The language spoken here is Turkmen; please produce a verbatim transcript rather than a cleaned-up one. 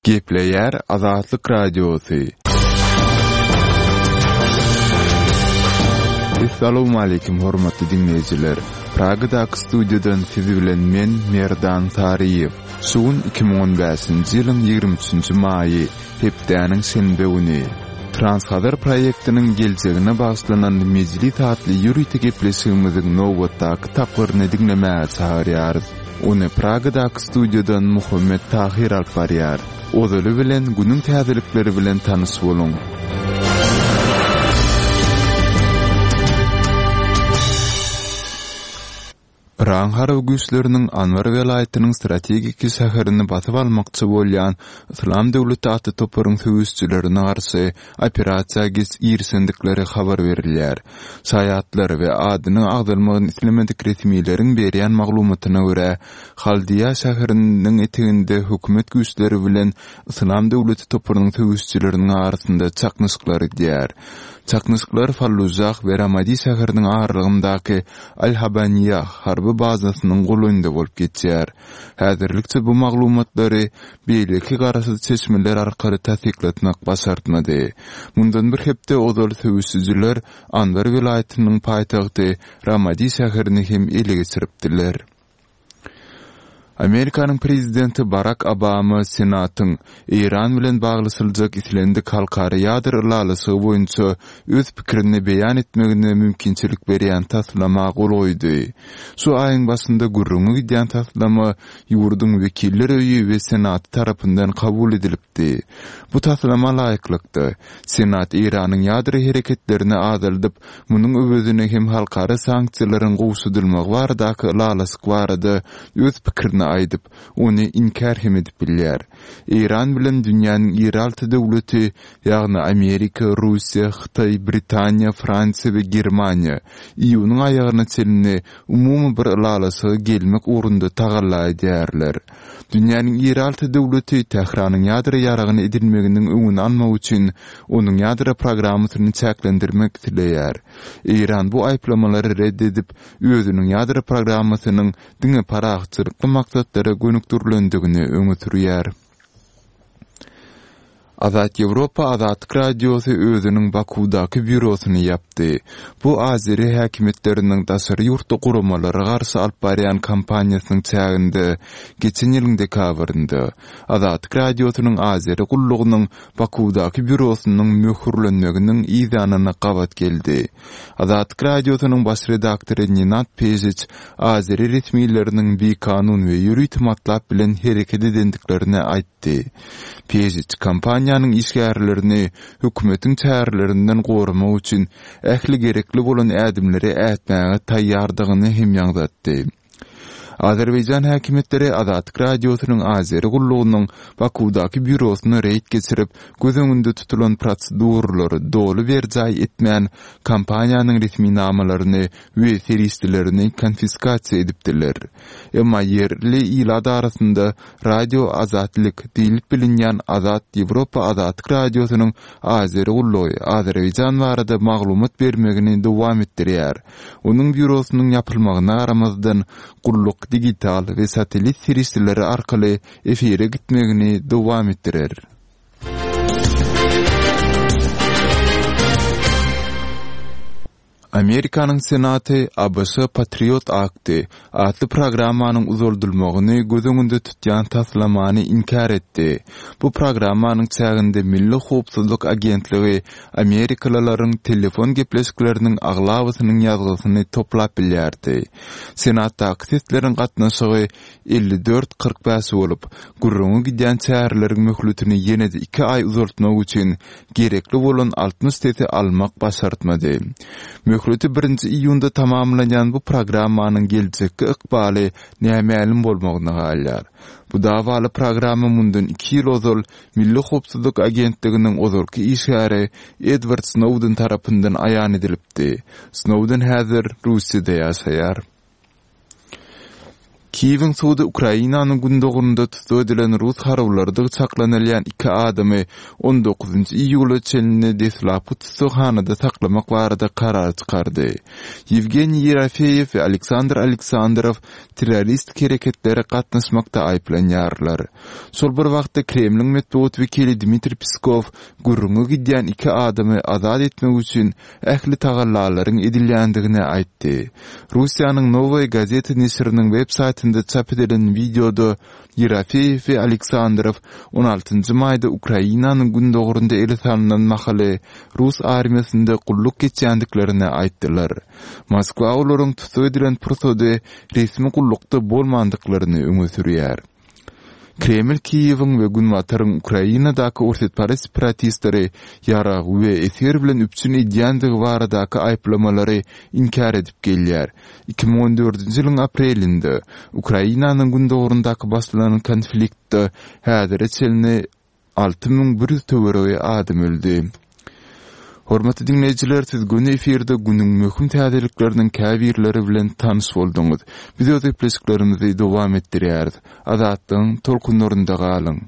Gepleýär Azatlyk Radiosy. Essalawmaleýkim hormatly diňleýjiler! Pragadaky studiýadan siz bilen men Merdan Saryýew. Şu gün iki müň on bäşinji ýylyň ýigrimi üçünji maýy, hepdäniň şenbe güni. Transhazar proýektiniň geljegine bagyşlanan Mejlis atly ýörite gepleşigimiziň nobatdaky tapgyryny diňlemäge çagyrýarys. Ony Pragadaky studiýadan Muhammet Tahyr alyp barýar. Ozaly bilen günüň täzelikleri bilen tanyş boluň. Yragyň harby güýçleriniň Anbar welaýatynyň strategiki şäherini basyp almakçy bolýan Yslam döwleti atly toparyň söweşijilerine garşy operasiýa girişendikleri habar berilýär. Şaýatlar we adynyň agzalmagyny islemedik resmileriň berýän maglumatyna görä, Haldiýa şäheriniň eteginde hökümet güýçleri bilen Yslam döwleti toparynyň söweşijileriniň arasynda çaknyşyklar gidýär. Çaknyşyklar Fallujah we Ramadi şäheriniň aralygyndaky Al-Habaniýah harby bazasynyň golaýynda bolup geçýär. Häzirlikçe bu maglumatlary beýleki garaşsyz çeşmeler arkaly tassyklatmak başartmady. Mundan bir hepde ozal söweşijiler Anbar welaýatynyň paýtagty Ramadi şäherini hem ele geçiripdiler. Amerikanyň prezidenti Barak Obama Senatyň Eýran bilen baglaşyljak islendik halkara ýadro ylalaşygy boýunça öz pikirini beýan etmegine mümkinçilik berýän taslama gol goýdy. Şu aýyň başynda gürrüňi gidýän taslama ýurduň Wekiller öýi we Senaty tarapyndan kabul edilipdi. Bu taslama laýyklykda, Senat Eýranyň ýadro hereketlerini azaldyp, munuň öwezine hem halkara sanksiýalaryň gowşadylmagy baradaky ylalaşyk barada öz pikirini aýdyp, ony inkär hem edip bilýär. Eýran bilen dünýäniň iri alty döwleti, ýagny Amerika, Russiýa, Hytaý, Britaniýa, Fransiýa we Germaniýa iýunyň aýagyna çenli umumy bir ylalaşyga gelmek ugrunda tagalla edýärler. Dünýäniň iri alty döwleti Tähranyň ýadro ýaragyny edinmeginiň öňüni almak üçin onuň ýadro programmasyny çäklendirmek isleýär. Eýran bu aýyplamalary ret edip, özüniň ýadro programmasynyň diňe parahatçylykly maksatlara gönükdirilendigini öňe sürýär. Azat Ýewropa Azatlyk Radiosy özüniň Bakuwdaky býurosyny ýapdy. Bu azeri häkimiýetleriniň daşary ýurtly guramalara garşy alyp barýan kampaniýasynyň çäginde geçen ýylyň dekabrynda Azatlyk Radiosynyň azeri gullugynyň Bakuwdaky býurosynyň möhürlenmeginiň yzýanyna gabat geldi. Azatlyk Radiosynyň baş redaktory Nenad Pežiç azeri resmileriniň bikanun we ýörite matlap bilen hereket edendiklerini aýtdy. Pežiç kompaniýanyň işgärlerini hökümetiň çärelerinden goramak üçin ähli gerekli bolan ädimleri ätmäge taýýardygyny hem ýaňzatdy. Azerbaýjan häkimiýetleri Azatlyk Radiosynyň Azeri gullugynyň Bakuwdaky býurosyna reýd geçirip, göz öňünde tutulan proseduralary doly berjaý etmän, kompaniýanyň resminamalaryny we serişdelerini konfiskasiýa edipdiler. Emma ýerli ilat arasynda Radio Azatlyk diýlip bilinýän Azat Ýewropa Azatlyk Radiosynyň Azeri gullugy Azerbaýjan barada maglumat bermegini dowam etdirýär. Onuň býurosynyň ýapylmagyna garamazdan, gulluk digital we satellit serişdeleri arkaly efire gitmegini dowam etdirer. Amerikanyň Senaty ABŞ Patriot Akty atly programmanyň uzaldylmagyny göz öňünde tutýan taslamany inkär etdi. Bu programmanyň çäginde Milli howpsuzlyk agentligi amerikalylaryň telefon gepleşikleriniň aglabasynyň ýazgysyny toplap bilýärdi. Senatdaky sesleriň gatnaşygy elli dört kyrk bäş bolup, gürrüňi gidýän çäreleriň möhletini ýene-de iki aý uzaltmak üçin gerekli bolan altmyş sesi almak başartmady. Möhleti birinji iýunda tamamlanýan bu programmanyň geljekki ykbaly nämälim bolmagyna galýar. Bu dawaly programma mundan iki ýyl ozal Milli howpsuzlyk agentliginiň ozalky işgäri Edward Snowden tarapyndan aýan edilipdi. Snowden häzir Russiýada ýaşaýar. Kiýewiň sudy Ukrainanyň gündogarynda tussag edilen rus harbylarydygy çaklanylýan iki adamy on dokuzynjy iýula çenli deslapky tussaghanada saklamak barada karar çykardy. Ýewgeniý Ýerofeýew we Aleksandr Aleksandrow terroristik hereketlere gatnaşmakda aýyplanýarlar. Şol bir wagtda Kremliň metbugat wekili Dmitriý Peskow gürrüňi gidýän iki adamy azat etmek üçin ähli tagallalaryň edilýändigini aýtdy. Russiýanyň Nowaýa gazeta neşiriniň web saýtynda çap edilen wideoda Ýerofeýew we Aleksandrow on altynjy maýda Ukrainanyň gündogarynda ele salnan mahaly rus armiýasynda gulluk geçýändiklerini aýtdylar. Moskwa olaryň tussag edilen pursady resmi gullukda bolmandyklaryny öňe sürýär. Kreml Kiýewiň we Günbataryň Ukrainadaky orsýetparaz separatistleri ýarag we esger bilen üpjün edýändigi baradaky aýyplamalary inkär edip gelýär. Iki müň on dördünji ýylyň aprelinde Ukrainanyň gündogaryndaky başlanan konfliktde häzire çenli alty müň bir ýüz töweregi adam öldi. Hormatly diňleýjiler, siz göni efirde günüň möhüm täzelikleriniň käbirleri bilen tanyş bolduňyz. Biz öz gepleşiklerimizi dowam etdirýäris. Azatlygyň tolkunlarynda galyň.